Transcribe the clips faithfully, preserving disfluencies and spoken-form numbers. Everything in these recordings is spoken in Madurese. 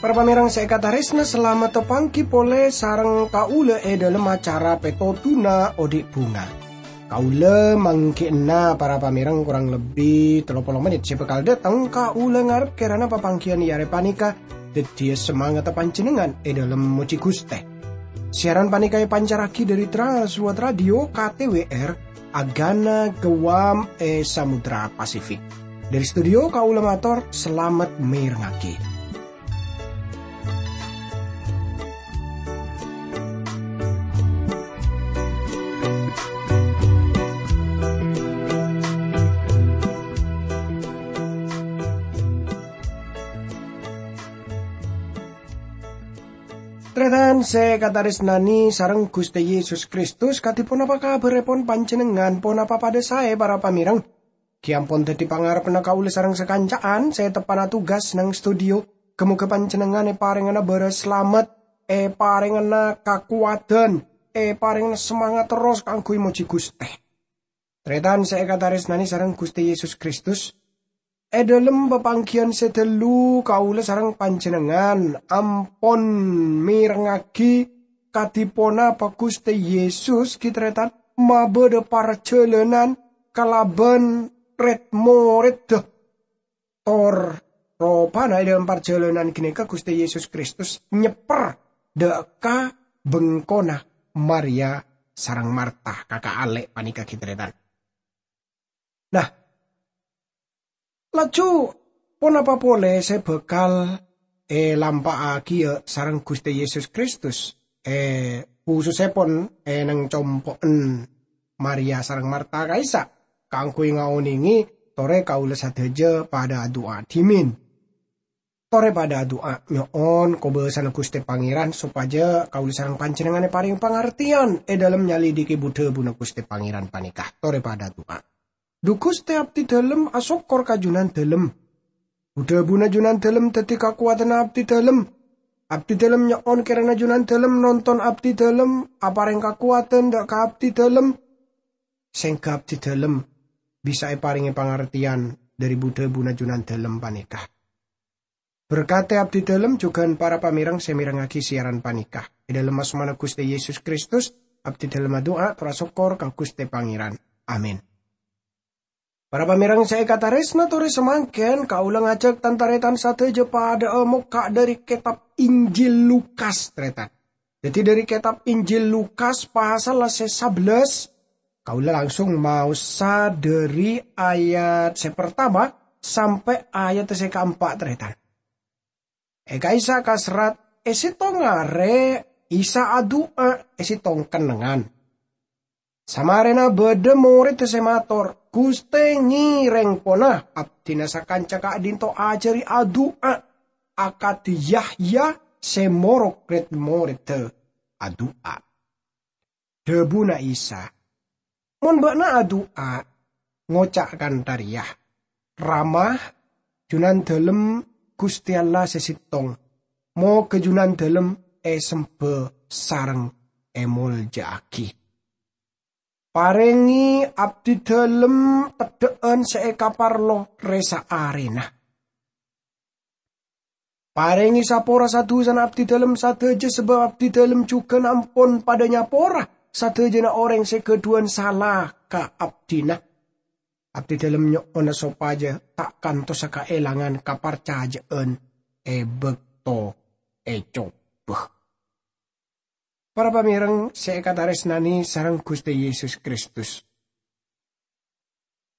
Para pamèrèng sè èkatarèsna, salamet tapangghi polè sareng kaulâ è dhâlem acara Pètodhuna Odi' Bhunga. Kaulâ mangghi'na para pamèrèng korang lebbi tello polo mennit sè bhâkal dâteng. Kaulâ ngarep kèrana papangghiyân è arè panèka dhâddhiyâ samangatta panjhennengngan è dhâlem mojhi Ghustè. Siaran panèka èpancarraghi dhâri Trans World Radio K T W R, Agana Guam è Samudra Pasifik. Dhâri studio kaulâ mator salamet mèrengngaghi. Tarètan sè èkatarèsnanè sareng Ghustè Yesus Kristus, kadhi ponapa kabhârrèpon panjhennengngan? Ponapa padhâ saè, para pamèrèng? Ghi' ampon dhâddhi pangarebbhânna kaulâ sareng sakanca'an sè teppa'na tugas neng studio. Ghâ-moghâ panjhennengngan èparèngana bârâs salamet, èparèngana kakowadhân, èparèngana samangat terros kaangghuy mojhi Ghustè. Tarètan sè èkatarèsnanè sareng Ghustè Yesus Kristus, è dhâlem papangghiyân sè ghâllu kaulâ sareng panjhennengngan ampon mèrengngaghi kadhi ponapa Ghustè Yesus ghi' tarètan mabâdâ parjhâlânan kalabân rèd-morèdda. Tor ropana è dhâlem parjhâlânan ghânèka Ghustè Yesus Kristus nyèpper dâ' ka bengkona Maria sareng Marta, kaka' alè' panèka ghi' tarètan. Nah, laju ponapa polè sè bhâkal èlampa'aghiyâ sareng Ghustè Yesus Kristus, è khusussèpon è neng compo'en Maria sareng Marta ka'issa', kaangghuy ngaonèngè torè kaulâ sadhâjâ padâ adu'a dhimèn. Torè padâ adu'a, nyo'on kobâsana Ghustè Pangèran sopajâ kaulâ sareng panjhennengngan èparèng pangartèyan è dhâlem nyalèdhighi bu-dhâbuna Ghustè Pangèran panèka. Torè padâ adu'a. Dhu Ghustè, abdhi dhâlem asokkor ka Jhunandhâlem. Bu-dhâbuna Jhunandhâlem dhâddhi kakowadhânna abdhi dhâlem. Abdhi dhâlem nyo'on kèrana Jhunandhâlem nonton abdhi dhâlem, aparèng kakowadhân dâ' ka abdhi dhâlem, sèngghâ abdhi dhâlem bisa èparèngè pangartèyan dhâri bu-dhâbuna Jhunandhâlem panèka. Berkatè abdhi dhâlem jhughân para pamèrèng sè mèrengngaghi siaran panèka. È dhâlem asmana Ghustè Yesus Kristus, abdhi dhâlem adu'a tor asokkor ka Ghustè Pangèran. Amin. Para pamèrèng sè èkatarèsna, torè samangkèn kaulâ ngajhâk tan-tarètan sadhâjâ padâ'â mokka' dhâri kètab Injil Lukas, tarètan. Dhâddhi, dhâri kètab Injil Lukas pasal sè sabellâs, kaulâ langsung maosa dhâri ayat sè partama sampè' ayat sè kaempa', tarètan. È ka'issa' kaserrat, è sèttong arè Isa adu'a è sèttong kennengngan. Samarèna bâdâ morèdda sè mator, "Ghustè, ngèrèng pona abdhina sakanca ka'dhinto ajhâri adu'a akadhi Yahya sè morok rèd-morèdda adu'a." Dhâbuna Isa, "Mon bâ'na adu'a, ngoca' kantha rèya, 'Rama, Jhunandhâlem Ghustè Allah sè sèttong, moghâ Jhunandhâlem èsemba sareng èmoljâ'aghi. Parèngè abdhi dhâlem teddhâ'ân sè èkaparlo rè-saarèna. Parèngè sapora sa-dhusana abdhi dhâlem sadhâjâ, sabâb abdhi dhâlem jhughân ampon padâ nyapora sadhâjâna orèng sè ghâdhuwân sala ka abdhina. Abdhi dhâlem nyo'ona sopajâ ta' kantosa kaèlangan kaparcajâ'ân è bâkto ècobâ.'" Para pamèrèng sè èkatarèsnanè sareng Ghustè Yesus Kristus,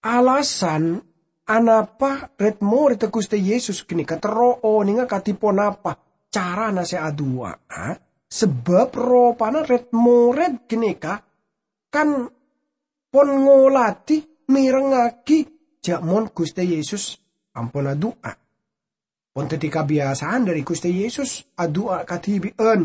alasan anapa rèd-morèdda Ghustè Yesus ghânèka terro onènga kadhi ponapa carana sè adu'a'a, sabâb ropana rèd-morèd ghânèka kan pon ngoladhi mèrengngaghi jhâ' mon Ghustè Yesus ampon adu'a. Pon dhâddhi kabiyasaan dhâri Ghustè Yesus adu'a kadhibi'ân.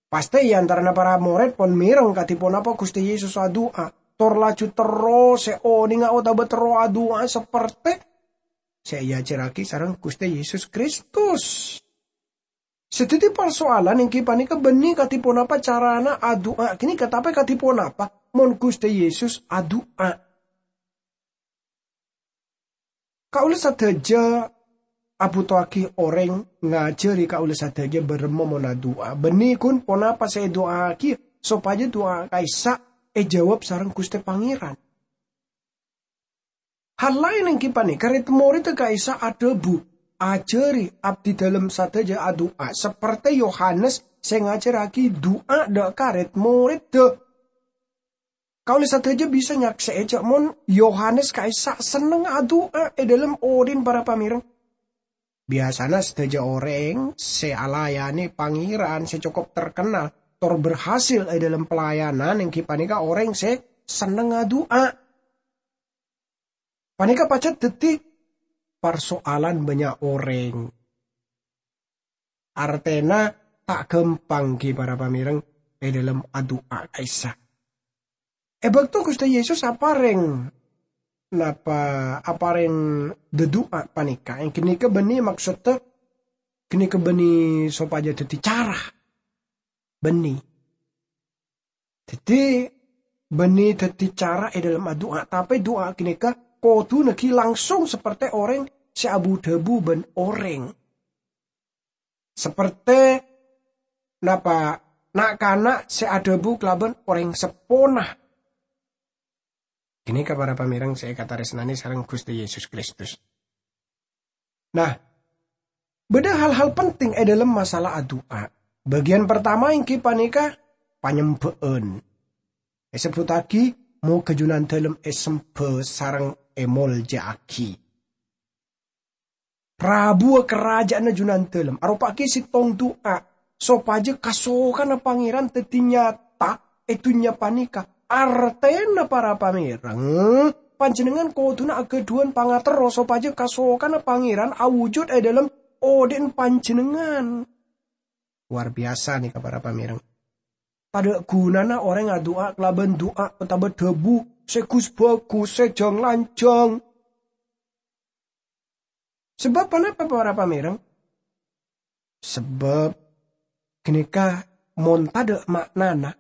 Pastè è antarana para morèd pon mèreng kadhi ponapa Ghustè Yesus adu'a, tor laju terro sè onènga otabâ terro adu'a sapertè sè èajhârraghi sareng Ghustè Yesus Kristus. Sè dhâddhi parsoalan èngghi panèka bânnè kadhi ponapa carana adu'a ghânèka, tapè kadhi ponapa mon Ghustè Yesus adu'a? Kaulâ sadhâjâ abhutoaghi orèng ngajhâri kaulâ sadhâjâ bârâmma mon adu'a. Bânnè ghun ponapa sè èdu'aaghi sopajâ du'a ka'issa' èjâwâb sareng Ghustè Pangèran. Hal laèn èngghi panèka, red-morèdda ka'issa' adhâbu, "Ajhâri abdidâlem sadhâjâ adu'a, saperte Yohanes sè ngajhârraghi du'a dâ' ka red-morèdda." Kaulâ sadhâjâ bisa nyaksè'è jhâ' mon Yohanes ka'issa' sennengnga adu'a è dâlem odi'na para pamèreng. Biyasana sadhâjâ orèng sè alayanè Pangèran sè cokop terkenal tor berhasil è dâlem pelayanan èngghi panèka orèng sè senneng adu'a. Panèka pajhât dhâddhi parsoalan bânnya' orèng. Artèna ta' ghâmpang ghi para pamèreng è dâlem adu'a ka'issa'. È bâkto Ghustè Yesus aparèng, napa, aparèng dhâdu'a panèka, ghânèka bânnè maksodda ghânèka bânnè sopajâ dhâddhi cara. Bânnè. Dhâddhi, bânnè dhâddhi cara è dâlem adu'a, tapè du'a ghânèka kodhuna ghi langsung saperte orèng sè abu-dhâbu bân orèng. Saperte, napa, na'-kana' sè adhâbu kalabân orèng seppona. Ghânèka para pamèreng sè èkatarèsnanè sareng Ghustè Yesus Kristus. Nah, bâdâ hal-hal penting è dâlem masalah adu'a. Bâgiyân partama èngghi panèka panyembhâ'ân. Èsebbhuttaghi, "Moghâ Junandâlem èsembhâ sareng èmoljâ'aghi." Rabuwâ karaja'anna Junandâlem, aropa'aghi sèttong du'a, sopajâ kasokanna Pangèran dhâddhi nyata è dhunnya panèka. Artèna para pamèreng, panjhennengngan kodhuna aghâdhuwân pangaterro sopajâ kasokanna Pangèran awujud è dâlem odi'na panjhennengngan. Luar biyasa nèka para pamèreng. Tadâ' ghunana orèng adu'a kalabân du'a otabâ dhâbu sè gus-bhâgus, sè jhâng-lanjhâng. Sabâb ponapa, para pamèreng? Sabâb ghânèka mon tadâ' ma'nana,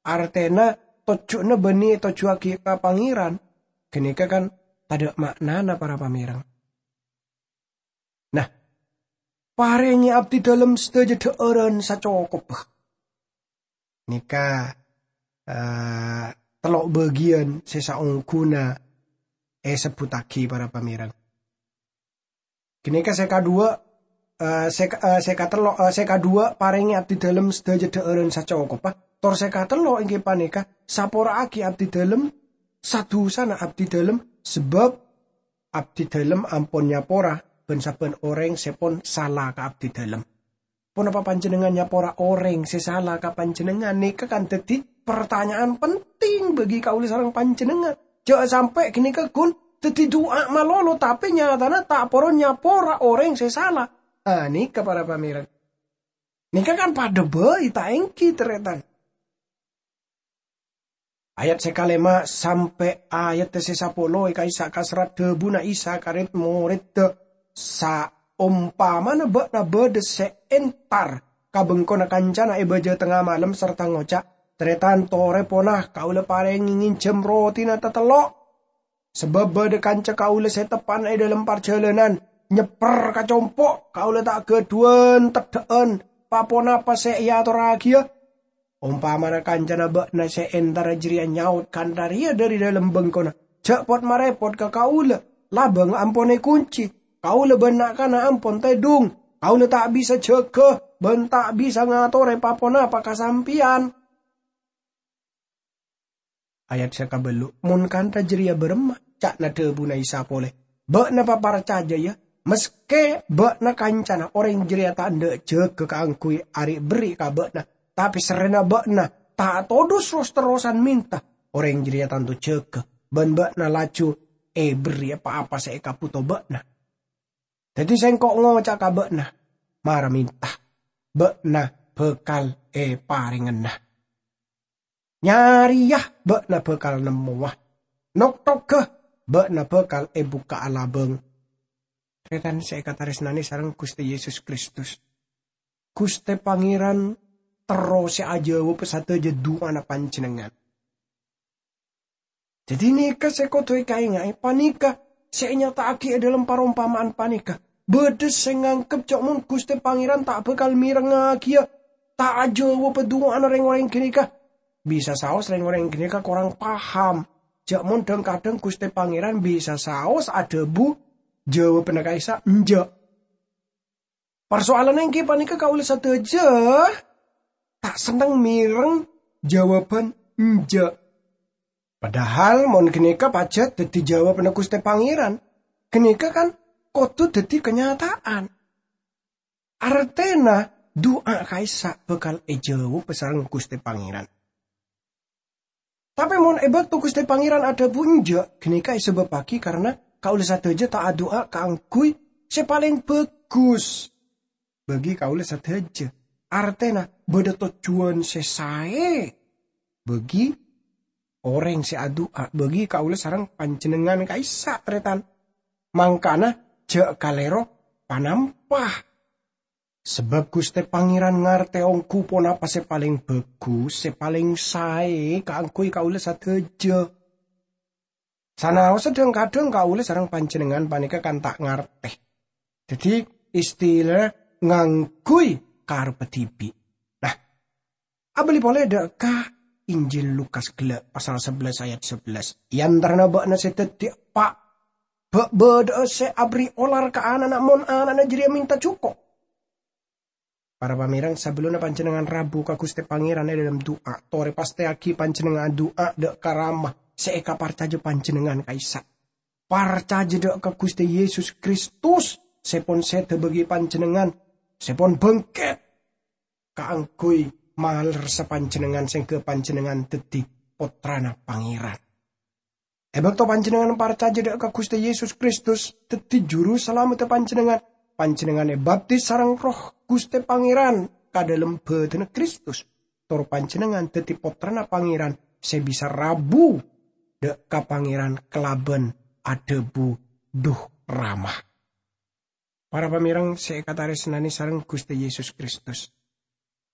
artèna tojjhuna bânnè ètojjhuwâghi ka Pangèran, ghânèka kan tadâ' ma'nana, para pamèreng. Nah, parèngè abdidâlem sadhâjâ dhâ'ârân sacokobbhâ. Nèka, eh, tello' bâgiyân sè saongghuna èsebbhuttaghi para pamèreng. Ghânèka sè kaduwâ, eh, sè ka-, eh, sè katello', eh, sè kaduwâ parèngè abdidâlem sadhâjâ dhâ'ârân sacokobbhâ. Tor sè katello' èngghi panèka sapora'aghi abdidâlem sadhusana abdidâlem, sabâb abdidâlem ampon nyapora bân sabbhân orèng sè pon sala ka abdidâlem. Ponapa panjhennengngan nyapora orèng sè sala ka panjhennengngan? Nèka kan dhâddhi partanya'an penting bagi kaulâ sareng panjhennengngan. Jhâ' sampè' ghânèka ghun dhâddhi du'a malolo, tapè nyatana ta' poro nyapora orèng sè sala. Ah, nèka para pamèreng. Nèka kan padâ bhâi, ta' èngghi, tarètan? Ayat sè kalèma' sampè' ayat sè sapolo è ka'issa' kaserrat dhâbuna Isa ka red-morèdda, "Saompamana bâ'na bâdâ sè entar ka bengkona kancana è bâjâ tengnga malem sarta ngoca', 'Tarètan, torè pona, kaulâ parèngè ngènjhâm rotina tatello'. Sabâb bâdâ kanca kaulâ sè teppa'na è dâlem parjhâlânan, nyèpper ka compo', kaulâ ta' ghâdhuwân teddhâ'ân pa-ponapa sè èatorraghiyâ.' Ompamana kancana bâ'na sè entara jârèya nyaot kantha rèya dhâri dâlem bengkona, 'Jhâ' pot-marèpot ka kaulâ, labâng ampon èkoncè, kaulâ bân na'-kana' ampon tèdung, kaulâ ta' bisa jâgâ bân ta' bisa ngatorè pa-ponapa ka sampèyan.'" Ayat sè kabâllu', "Mon kantha jârèya bârâmma?" ca'na dhâbuna Isa polè. "Bâ'na paparcajâ, yâ, maskè bâ'na kancana orèng jârèya ta' endâ' jâgâ kaangghuy arè' berri' ka bâ'na, tapè sarrèna bâ'na ta' todus ros-terrosan mènta, orèng jârèya tanto jâgâ, bân bâ'na laju èberri' pa-apa sè èkabhuto bâ'na. Dhâddhi Sèngko' ngoca' ka bâ'na, mara mènta, bâ'na bhâkal èparèngana. Nyarèya bâ'na bhâkal nemmowa. Noktoghâ bâ'na bhâkal èbukka'a labâng." Tarètan sè èkatarèsnanè sareng Ghustè Yesus Kristus. Ghustè Pangèran terro sè ajâwâb sadhâjâ du'ana panjhennengngan. Dhâddhi nèka sè kodhu èkaènga'è, panèka sè ènyata'aghi è dhâlem parompama'an panèka. Bâdâ sè nganggep jhâ' mon Ghustè Pangèran ta' bhâkal mèrengngagiyâ, ta' ajâwâbhâ du'ana rèng-orèng ghânèka. Bisa saos rèng-orèng ghânèka korang paham, jhâ' mon dhâng-kadhâng Ghustè Pangèran bisa saos adhâbu jâwâbhânna ka'issa' enjâ'. Parsoalanna èngghi panèka kaulâ sadhâjâ ta' senneng mèreng jâwâbhân enjâ'. Padahal mon ghânèka pajhât dhâddhi jâwâbhânna Ghustè Pangèran, ghânèka kan kodhu dhâddhi kanyata'an. Artèna du'a ka'issa' bhâkal èjâwâb sareng Ghustè Pangèran. Tapè mon è bâkto Ghustè Pangèran adhâbu enjâ', ghânèka èsabâbbhâghi karana kaulâ sadhâjâ ta' adu'a kaangghuy sè palèng bhâghus bâgi kaulâ sadhâjâ. Artèna bâdâ tojjhuwân sè saè bâgi orèng sè adu'a, bâgi kaulâ sareng panjhennengngan ka'issa', tarètan. Mangkana jhâ' kalèro panampa. Sabâb Ghustè Pangèran ngartè ongghu ponapa sè palèng bhâghus, sè palèng saè kaangghuy kaulâ sadhâjâ. Sanaossa dhâng-kadhâng kaulâ sareng panjhennengngan panèka kan ta' ngartè. Dhâddhi, istilana ngangghuy karebbhâ dhibi'. Nah, abâli polè dâ' ka Injil Lukas ghellâ', pasal sabellâs ayat sabellâs. È antarana bâ'na sè dhâddhi eppa', bâ'-, bâdâ'â sè aberri' olar ka ana'na mon ana'na jârèya mènta jhuko'. Para pamèreng, sabellunna panjhennengngan rabu ka Ghustè Pangèran è dhâlem du'a, torè pastèyaghi panjhennengngan adu'a dâ' ka Rama sè èkaparcajâ panjhennengngan ka'issa'. Parcajâ dâ' ka Ghustè Yesus Kristus sè pon sèdhâ bâgi panjhennengngan, sè pon bângkèt kaangghuy malerressa panjhennengngan sèngghâ panjhennengngan dhâddhi pottrana Pangèran. È bâkto panjhennengngan parcajâ dâ' ka Ghustè Yesus Kristus dhâddhi Juru Salameddhâ panjhennengngan, panjhennengngan èbaptis sareng Erroh Ghustè Pangèran ka dhâlem bâdânna Kristus, tor panjhennengngan dhâddhi pottrana Pangèran sè bisa rabu dâ' ka Pangèran kalabân adhâbu, "Dhu, Rama." Para pamèreng sè èkatarèsnanè sareng Ghustè Yesus Kristus.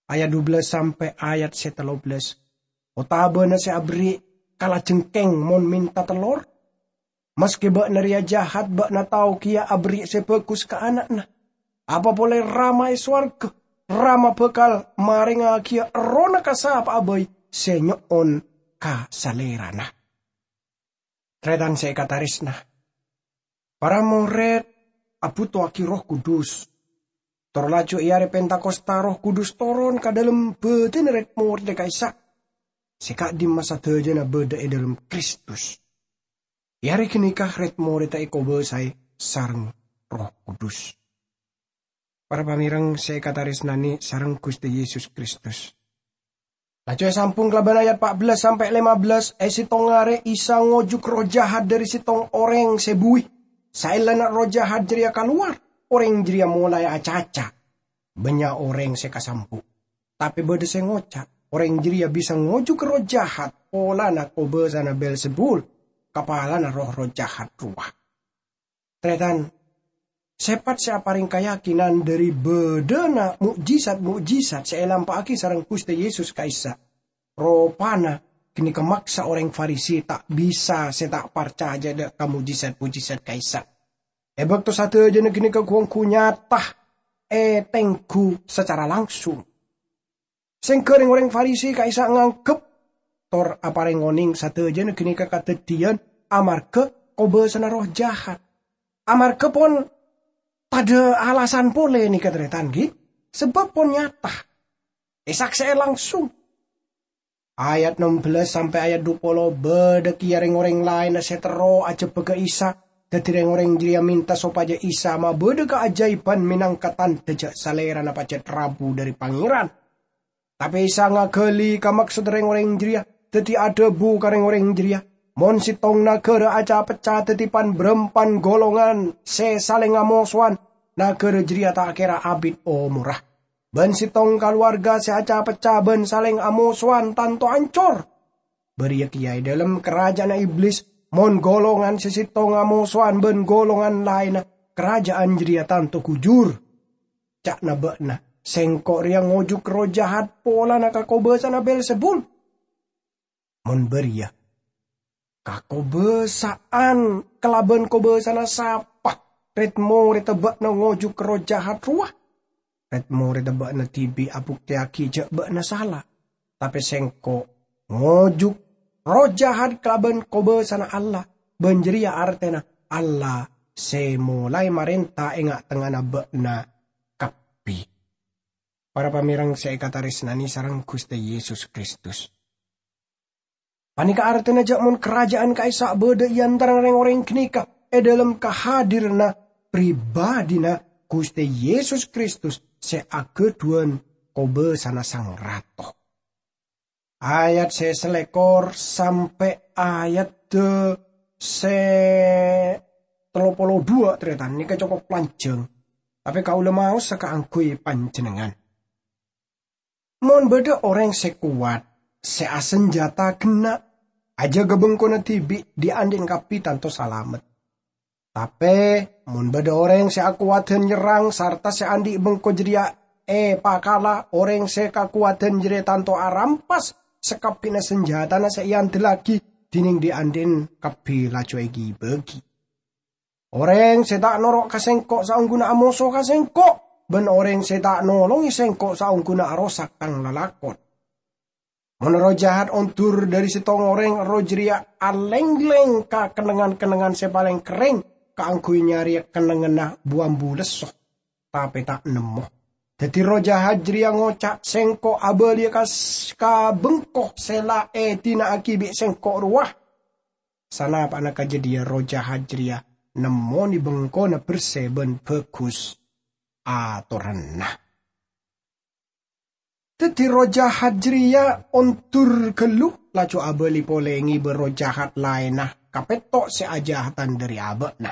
Ayat dubellâs sampè' ayat sè tellobellâs. Otabâna sè aberri' kalajengkèng mon mènta tellor? Maskè bâ'na rèya jahat, bâ'na tao kèya aberri' sè bhâghus ka ana'na. Apa polè Rama è sowarghâ? Rama bhâkal marèngngaghiyâ Errohna ka sapa'a bhâi sè nyo'on ka Salèrana. Tarètan sè èkatarèsna, para morèd abhutoaghi Erroh Kudus. Tor laju è arè Pentakosta, Erroh Kudus toron ka dhâlem bâdânna rèd-morèdda ka'issa', sè ka'dimma sadhâjâna bâdâ è dhâlem Kristus. È arè ghânèka rèd-morèdda èkobâsaè sareng Erroh Kudus. Para pamèreng sè èkatarèsnanè sareng Ghustè Yesus Kristus. Laju èsambhung kalabân ayat pa'bellâs sampè' lèmabellâs, è sèttong arè Isa ngojuk erroh jahat dhâri sèttong orèng sè buwi. Saellana erroh jahat jârèya kalowar, orèng jârèya molaè acaca. Bânnya' orèng sè kasambu'. Tapè bâdâ sè ngoca', orèng jârèya bisa ngojuk erroh jahat polana kobâsana Beelzebul, kapalana roh-erroh jahat rowa. Tarètan, sèpat sè aparèng kayakinan dhâri bâdâna mo'jizat-mo'jizat sè èlampa'aghi sareng Ghustè Yesus ka'issa', ropana ghânèka maksa orèng Farisi ta' bisa sè ta' parcajâ dâ' ka mo'jizat-mo'jizat ka'issa'. È bâkto sadhâjâna ghânèka ghu-ongghu nyata ètengghu sacara langsung. Sèngghâ rèng-orèng Farisi ka'issa' nganggep tor aparèng onèng sadhâjâna ghânèka kadhâddhiyân amarghâ kobâsana roh jahat. Amarghâ pon tadâ' alasan polè nèka, tarètan, ghi? Sabâb pon nyata. Èsaksè'è langsung. Ayat nembellâs sampè' ayat dupolo, bâdâ kèya rèng-orèng laènna sè terro ajhebbhâghâ Isa. Dhâddhi rèng-orèng jârèya mènta sopajâ Isa mabâdâ kaajâibhân mènangka tandhâ jâ' Salèrana pajhât rabu dhâri Pangèran. Tapè Isa ngaghâli kamaksodda rèng-orèng jârèya, dhâddhi adhâbu ka rèng-orèng jârèya, "Mon sèttong naghârâ aca-pecca dhâddhi pan-bârâmpan golongan sè salèng amosowan, naghârâ jârèya ta' kèra abit omorra. Bân sèttong kalowarga sè aca-pecca bân salèng amosowan tanto ancor." Bâriyâ kèya è dhâlem karajâ'ânna Iblis, mon golongan sè sèttong amosowan bân golongan laènna, karajâ'ân jârèya tanto ghujur. Ca'na bâ'na Sengko' reya ngojuk erroh jahat polana ka kobasana Beelzebul. Mon bariya, kakobasa'an kalaban kobasana sapa red-moredda ba'na ngojuk erroh jahat rowa? Red-moredda ba'na dibi' abukteyagi ja' ba'na sala. Tape Sengko' ngojuk erroh jahat kalaban kobasana Allah, ban jareya artena Allah se molae marenta e nga'-tengnga'anna ba'na kabbi. Para pamereng se ekataresnane sareng Guste Yesus Kristus. Paneka artena ja' mon karaja'an ka'issa' badha e antarana reng-oreng ganeka e dhalem kahadiranna pribadina Guste Yesus Kristus se agadhuwan kobasana Sang Rato. Ayat se salekor sampe' ayat se tello polo dhuwa', taretan, neka cokop lanjang, tape kaula maosa kaangguy panjennengngan. Mon badha oreng se kowat, se asanjata genna', ajaga bengkona dibi' dhi-andhi'na kabbi tanto salamet. Tape mon badha oreng se akowadan nyerrang sarta se andhi' bengko jareya epakala, oreng se kakowadan jareya tanto arampas sakabbina sanjatana se eandellagi, dineng dhi-andhi'na kabbi laju egi-bagi. Oreng se ta' noro' ka Sengko' saongguna amoso ka Sengko', ban oreng se ta' nolonge Sengko' saongguna arosak tang lalakon. Mon erroh jahat ondur dhari settong oreng, erroh jareya alengleng ka kennengngan-kennengngan se paleng kerreng kaangguy nyareya kennengnganna bu-ambu lesso, tape ta' nemmo. Daddi erroh jahat jareya ngoca', "Sengko' abaliya ka s-, ka bengko se la edina'agi bi' Sengko' rowa." Sanapa'na ka jadhiya, erroh jahat jareya nemmone bengkona berse ban bagus atoranna. Daddi erroh jahat jareya ondur gallu, laju abali pole ngeba erroh jahat laenna kapetto' se ajahatan dhari aba'na.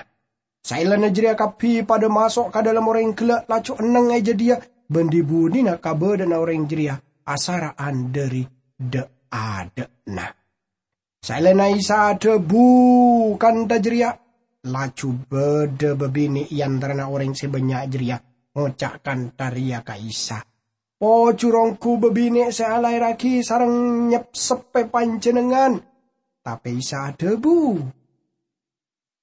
Saellana jareya kabbi padha maso' ka dhalem oreng gella', laju enneng e jadhiya, ban dhi-budhina kabadha'anna oreng jareya asara'an dhari dha'-adha'na. Saellana Isa adhabu kantha jareya, laju badha babine' e antarana oreng se bannya' jareya ngoca' kantha reya ka Isa, "Pojur ongghu babine' se alaerragi sareng nyepseppe Panjennengngan." Tape Isa adhabu,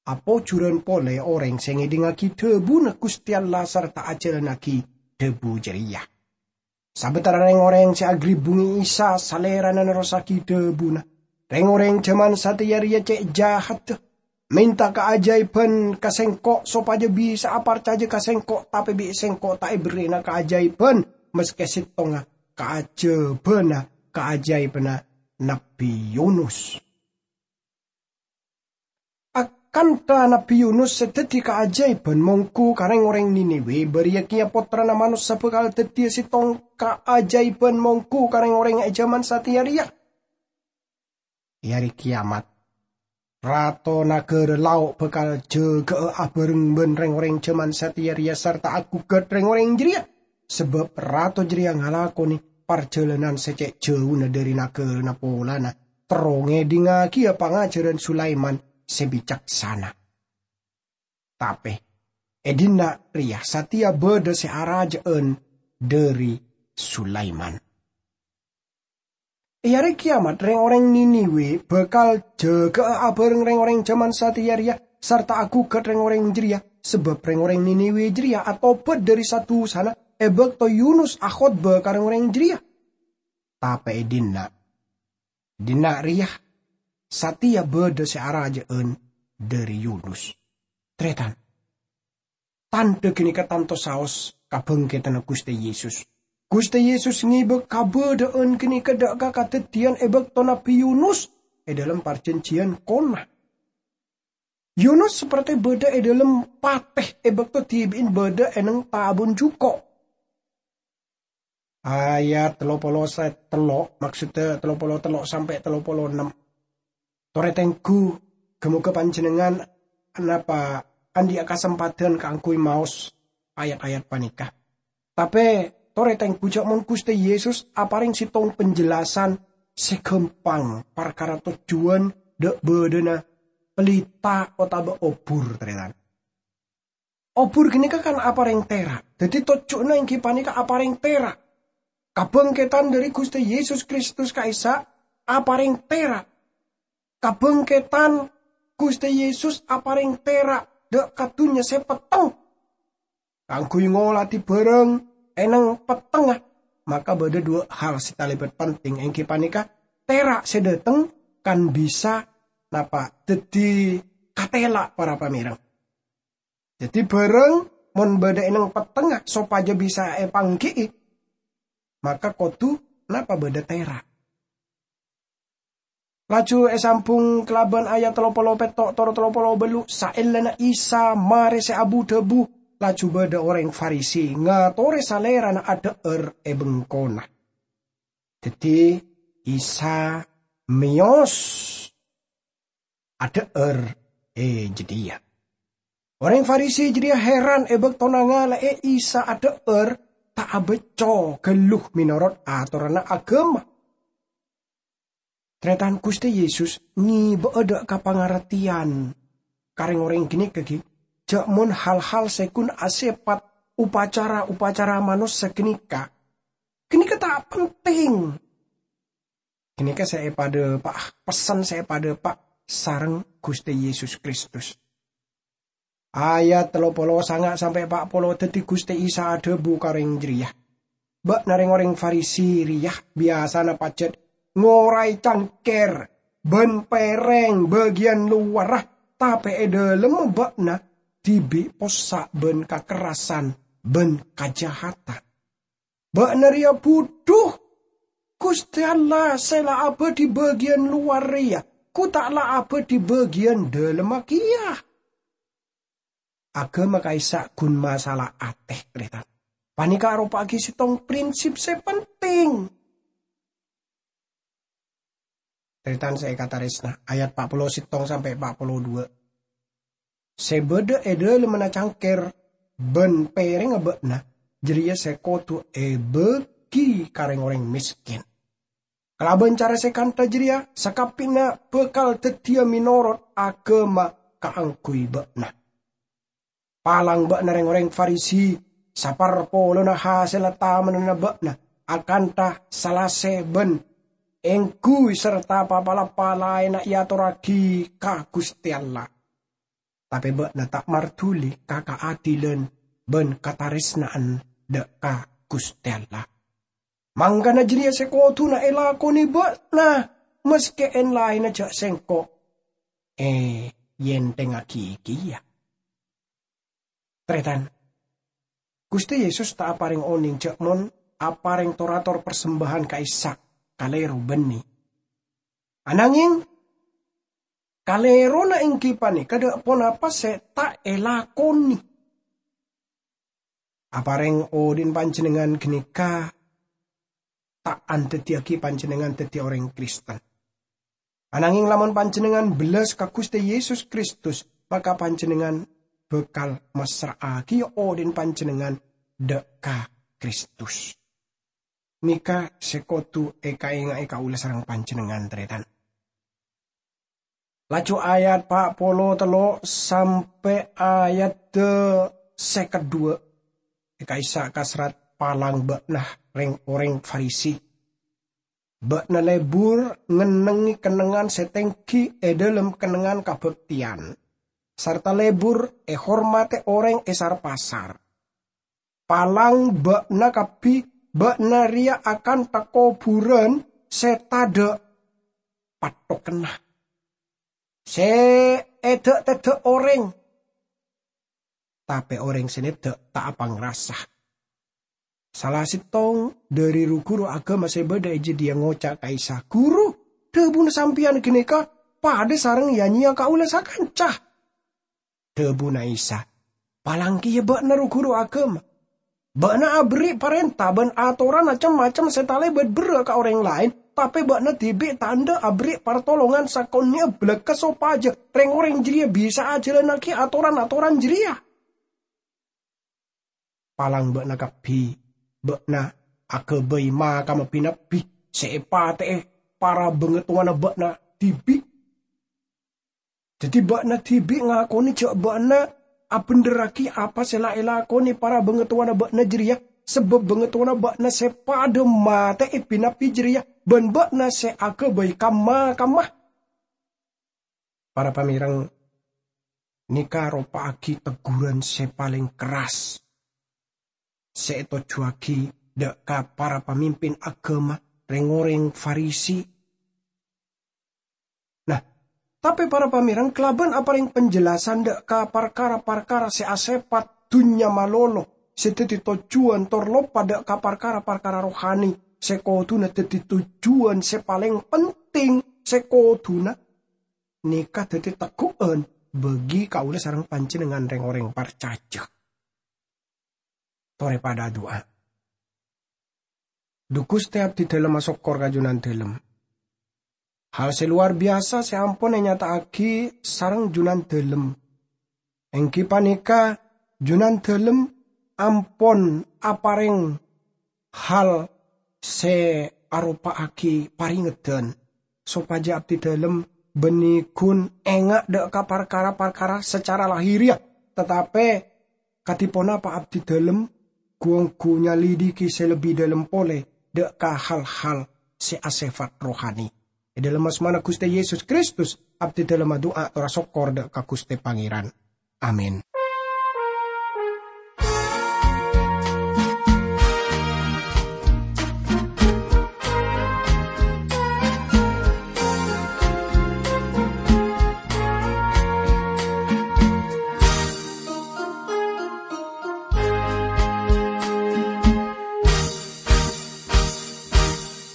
"Apojuran pole oreng se ngedhingngagi dhabuna Guste Allah sarta ajalannagi dhabu jareya." Sabatara reng-oreng se agribbunge Isa, Salerana nerrossagi dhabuna, "Reng-oreng jaman sateya reya ce' jahatta. Menta kaajaeban ka Sengko' sopaja bisa'a parcaja ka Sengko', tape bi' Sengko' ta' eberri'ana kaajaeban, maske settonga kaajabana kaajaebanna Nabbi Yunus." Akantha Nabbi Yunus se daddi kaajaeban mongghu ka reng-oreng Niniwe, bariya keya Pottrana Manossa bakal daddiya settong kaajaeban mongghu ka reng-oreng e jaman sateya reya. E Are Keyamat, Rato Nagara Lao' bakal jaga'a abareng ban reng-oreng jaman sateya reya sarta agugat reng-oreng jareya, sabab Rato jareya ngalakone parjalanan se ce' jauna dhari nagarana polana, terro ngedhingngagiya pangajaran Sulaiman se bicaksana. Tape, e dhinna' reya sateya badha se araja'an dhari Sulaiman. E Are Keyamat, reng-oreng Niniwe bakal jaga'a abareng reng-oreng jaman sateya reya sarta agugat reng-oreng jareya, sabab reng-oreng Niniwe jareya atobat dhari sa-dusana e bakto Yunus akhotba ka reng-oreng jareya. Tape e dhinna', dhinna' reya sateya badha se araja'an dhari Yunus. Taretan, tandha ganeka tanto saos kabangkedanna Guste Yesus. Guste Yesus ngeba kabadha'an ganeka dha' ka kadaddiyan e bakto Nabbi Yunus e dhalem Parjanjiyan Kona. Yunus saperte badha e dhalem pate e bakto dibi'in badha e neng tabun juko'. Ayat tello polo se tello', maksudda tello polo tello' sampe' tello polo ennem. Tore tenggu, ga-moga panjennengngan napa andhi'a kasempadhan kaangguy maos ayat-ayat paneka. Tape, tore tenggu ja' mon Guste Yesus apareng settong penjelasan se gampang parkara tojjuwan dha'-badhana pelita otaba obur, taretan. Obur ghânèka kan aparèng tèra'. Dhâddhi tojjhuna èngghi panèka aparèng tèra'. Kabhângkèdhân dhâri Ghustè Yesus Kristus ka'issa' aparèng tèra'. Kabhângkèdhân Ghustè Yesus aparèng tèra' dhâ' ka dhunnya sè petteng. Kaangghuy ngoladhi bhârâng è nèng pettengnga, maka bâdâ duwâ' hal sè talèbât penting, èngghi panèka tèra' sè dhâteng kan bisa napa dhâddhi katèla' para pamèreng. Dhâddhi bhârâng mon bâdâ è nèng pettengnga sopajâ bisa èpangghi'i, maka kodhu napa bâdâ tèra'. Laju èsambhung kalabân ayat tello polo pètto' tor tello polo bâllu', saellana Isa marè sè abu-dhâbu, laju bâdâ orèng Farisi ngatorè Salèrana adhâ'âr è bengkona. Dhâddhi Isa mèyos adhâ'âr è jâdiyâ. Orèng Farisi jârèya heran è bâktona ngala'è Isa adhâ'âr ta' abâcco ghâllu mènorot atoranna aghâma. Tarètan, Ghustè Yesus ngèbâ'â dhâ' ka pangartèyan ka rèng-orèng ghânèka ghi, jâ' mon hal-hal sè ghun asèpat upacara-upacara manossa ghânèka, ghânèka ta' penting. Ghânèka sè èpadhâpa', pessen sè èpadhâpa' sareng Ghustè Yesus Kristus. Ayat tello polo sanga' sampè' pa' polo. Dhâddhi Ghustè Isa adhâbu ka orèng jârèya, "Bâ'na rèng-orèng Farisi rèya biyasana pajhât ngoraè cangkèr bân pèrèng bâgiyân lowarra, tapè è dâlemma bâ'na dhibi' possa' bân kakerrasan bân kajahadan. Bâ'na rèya budhu! Ghustè Allah sè la abâdhi bâgiyân lowar rèya, ghu ta' la abâdhi bâgiyân dâlemma kèya." Aghâma ka'issa' ghun masalah atè, tarètan. Panèka aropa'aghi sèttong prinsip sè penting. Tarètan sè èkatarèsna, ayat pa' polo sèttong sampè' pa' polo duwâ'. Sè bâdâ è dâlemmanna cangkèr bân pèrèngnga bâ'na, jârèya sè kodhu èbâghi ka rèng-orèng mèskèn. Kalabân cara sè kantha jârèya, sakabbhiyânna bhâkal dhâddhiyâ mènorot aghâma kaangghuy bâ'na. Palang bâ'na rèng-orèng Farisi, saparpolona hasèlla tamennanna bâ'na, akantha salasè bân èngghuy sarta pa-palappa laènna èatorraghi ka Ghustè Allah. Tapè bâ'na ta' marduli ka kaadilan bân katarèsna'an dhâ' ka Ghustè Allah. Mangkana jârèya sè kodhuna èlakonè bâ'na, maskè èn-laènna jâ' sèngko' èyènthèngngaghi kèya. Tarètan, Ghustè Yesus ta' aparèng onèng jâ' mon aparèng tor-ator parsembâhan ka'issa' kalèro bânnè. Ananghèng, kalèrona èngghi panèka dhâ' ponapa sè ta' èlakonè. Aparèng odi'na panjhennengngan ghânèka ta' andhâddhiyâghi panjhennengngan dhâddhi orèng Kristen. Ananghèng lamon panjhennengngan bellas ka Ghustè Yesus Kristus, maka panjhennengngan bhâkal massra'aghiyâ odi'na panjhennengngan dhâ' ka Kristus. Nèka sè kodhu èkaènga'è kaulâ sareng panjhennengngan, tarètan. Laju ayat pa' polo tello' sampè' ayat sèket duwâ', è ka'issa' kaserrat palang bâ'na rèng-orèng Farisi. Bâ'na lebur ngennengngè kennengngan sè tèngghi è dâlem kennengngan kabhâktèyan, sarta lebur èhormadhi orèng è sar-pasar. Palang bâ'na kabbhi, bâ'na rèya akantha kobhurân sè tadhâ' pattokanna, sè èdhâ'-tèdhâ' orèng, tapè orèng sè nèdhâ' ta' apangrasa. Sala sèttong dhâri ru-ghuru aghâma sè bâdâ è jâdiyâ ngoca' ka Isa, "Ghuru, dhâbuna sampèyan ghânèka padâ sareng ya-nyèya kaulâ sakanca." Dhâbuna Isa, "Palang kèya bâ'na ru-ghuru aghâma. Bâ'na aberri' parènta bân atoranna cem-macem sè talèbât berrâ' ka orèng laèn, tapè bâ'na dhibi' ta' endâ' aberri' partolongan sakonè'na bâlâkka sopajâ rèng-orèng jârèya bisa'a ajhâlannaghi atoran-atoran jârèya. Palang bâ'na kabbhi, bâ'na aghâbây makamma bi-nabbi sè èpatè'è para bangèttonganna bâ'na dhibi'. Dhâddhi bâ'na dhibi' ngakonè jâ' bâ'na abhendherraghi apa sè la èlakonè para bhângatowana bâ'na jârèya, sabâb bhângatowana bâ'na sè padâ matè'è bi-nabbi jârèya, bân bâ'na sè aghâbây kamma-kamma. Para pamèrèng, nèka aropa'aghi tegghuran sè palèng kerras sè ètojjhuwâghi dâ' ka para pamimpin aghâma, rèng-orèng Farisi. Nah, tapè para pamèrèng, kalabân aparèng penjelasan dâ' ka parkara-parkara sè asèpat dhunnya malolo, sè dhâddhi tojjhuwân tor loppa dâ' ka parkara-parkara rohani sè kodhuna dhâddhi tojjhuwân sè palèng penting, sè kodhuna nèka dhâddhi tegghu'ân bagi kaulâ sareng panjhennengngan rèng-orèng parcajâ. Torè padâ adu'a. Dhu Ghustè, abdhidhâlem asokkor ka Jhunandhâlem. Hal sè lowar biyasa sè ampon ènyata'aghi sareng Jhunandhâlem, èngghi panèka Jhunandhâlem ampon aparèng hal sè aropa'aghi parèngeddhân, sopajâ abdhidhâlem bânnè ghun enga' dâ' ka parkara-parkara sacara lahiriah, tatapè kadhi ponapa abdhidhâlem ghu-ongghu nyalidiki sè lebbi dhâlem polè dâ' ka hal-hal sè asèfat rohani. È dhâlem asmana Ghustè Yesus Kristus, abdhidhâlem adu'a tor asokkor dâ' ka Ghustè Pangèran. Amin.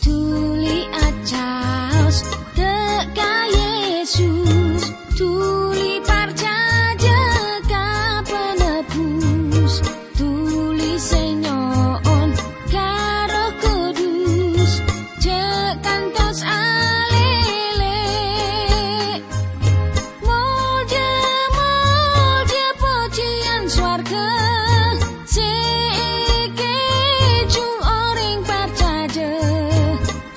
Dhuli acaos dâ' ka Yesus, dhuli parcajâ ka Penebus, dhuli sè nyo'on ka Erroh Kudus, jhâ' kantos alèlè. Molja, molja, pojhiyân sowarghâ sè èkèjhung orèng parcajâ,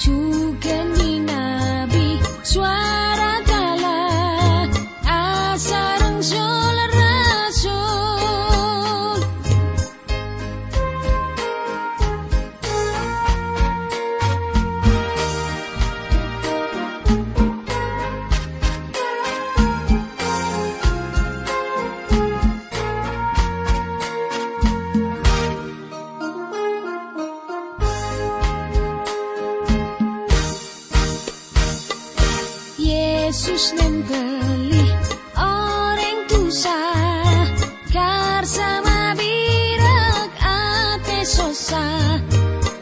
jhughân bi-nabbi sowara kala asareng sol-rasul. Yesus nèmbhâli orèng dhusa, karsa mabirâk, atè sossa,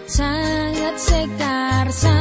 sanget sè karsa